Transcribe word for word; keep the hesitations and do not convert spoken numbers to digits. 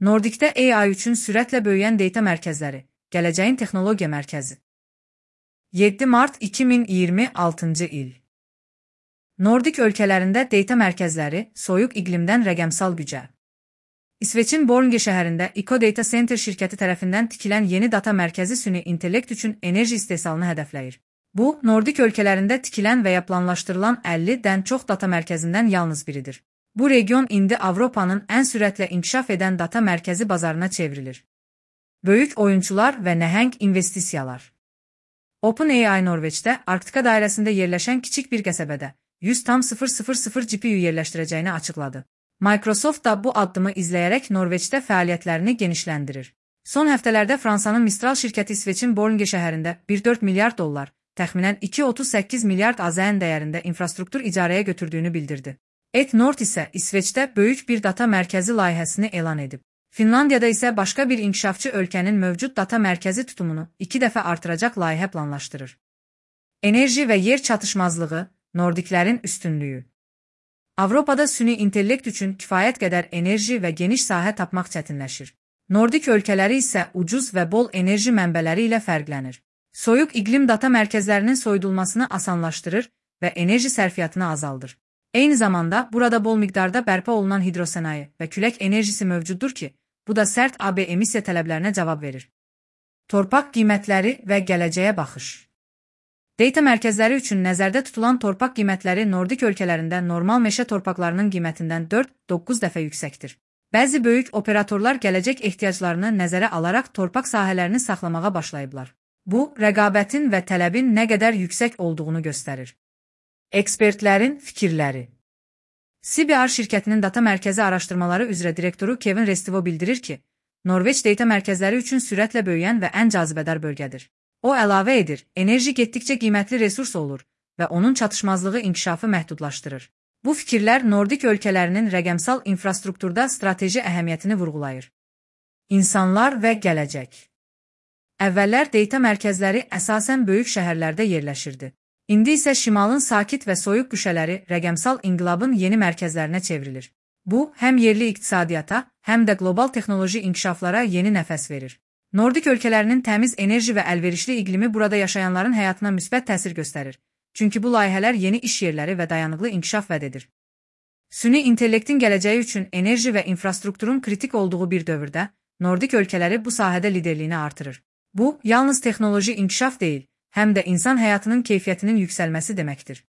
Nordicdə A I üçün sürətlə böyüyən data mərkəzləri, gələcəyin texnologiya mərkəzi. yeddi mart iki min iyirmi altıncı il. Nordik ölkələrində data mərkəzləri soyuq iqlimdən rəqəmsal gücə. İsveçin Bornge şəhərində Eco Data Center şirkəti tərəfindən tikilən yeni data mərkəzi süni intellekt üçün enerji istehsalını hədəfləyir. Bu, Nordik ölkələrində tikilən və ya planlaşdırılan əllidən çox data mərkəzindən yalnız biridir. Bu region indi Avropanın ən sürətlə inkişaf edən data mərkəzi bazarına çevrilir. Böyük oyunçular və nəhəng investisiyalar. OpenAI Norveçdə, Arktika dairəsində yerləşən kiçik bir qəsəbədə yüz tam sıfır sıfır sıfır G P U yerləşdirəcəyini açıqladı. Microsoft da bu addımı izləyərək Norveçdə fəaliyyətlərini genişləndirir. Son həftələrdə Fransanın Mistral şirkəti İsveçin Bornge şəhərində bir nöqtə dörd milyard dollar, təxminən iki nöqtə otuz səkkiz milyard A Z N dəyərində infrastruktur icarəyə götürdüyünü bildirdi. Etnord isə İsveçdə böyük bir data mərkəzi layihəsini elan edib. Finlandiyada isə başqa bir inkişafçı ölkənin mövcud data mərkəzi tutumunu iki dəfə artıracaq layihə planlaşdırır. Enerji və yer çatışmazlığı, Nordiklərin üstünlüyü. Avropada süni intellekt üçün kifayət qədər enerji və geniş sahə tapmaq çətinləşir. Nordik ölkələri isə ucuz və bol enerji mənbələri ilə fərqlənir. Soyuq iqlim data mərkəzlərinin soyudulmasını asanlaşdırır və enerji sərfiyyatını azaldır. Eyni zamanda burada bol miqdarda bərpa olunan hidrosənaye və külək enerjisi mövcuddur ki, bu da sərt A B emissiya tələblərinə cavab verir. Torpaq qiymətləri və gələcəyə baxış. Data mərkəzləri üçün nəzərdə tutulan torpaq qiymətləri Nordik ölkələrində normal meşə torpaqlarının qiymətindən dörd doqquz dəfə yüksəkdir. Bəzi böyük operatorlar gələcək ehtiyaclarını nəzərə alaraq torpaq sahələrini saxlamağa başlayıblar. Bu, rəqabətin və tələbin nə qədər yüksək olduğunu göstərir. Ekspertlərin fikirləri. C B R şirkətinin data mərkəzi araşdırmaları üzrə direktoru Kevin Restivo bildirir ki, Norveç data mərkəzləri üçün sürətlə böyüyən və ən cazibədar bölgədir. O əlavə edir, enerji getdikcə qiymətli resurs olur və onun çatışmazlığı inkişafı məhdudlaşdırır. Bu fikirlər Nordik ölkələrinin rəqəmsal infrastrukturda strateji əhəmiyyətini vurğulayır. İnsanlar və gələcək. Əvvəllər data mərkəzləri əsasən böyük şəhərlərdə yerləşirdi. İndi isə şimalın sakit və soyuq güşələri rəqəmsal inqilabın yeni mərkəzlərinə çevrilir. Bu, həm yerli iqtisadiyyata, həm də qlobal texnoloji inkişaflara yeni nəfəs verir. Nordik ölkələrinin təmiz enerji və əlverişli iqlimi burada yaşayanların həyatına müsbət təsir göstərir. Çünki bu layihələr yeni iş yerləri və dayanıqlı inkişaf vəd edir. Süni intellektin gələcəyi üçün enerji və infrastrukturun kritik olduğu bir dövrdə, Nordik ölkələri bu sahədə liderliyini artırır. Bu, yalnız texnoloji inkişaf deyil, həm də insan həyatının keyfiyyətinin yüksəlməsi deməkdir.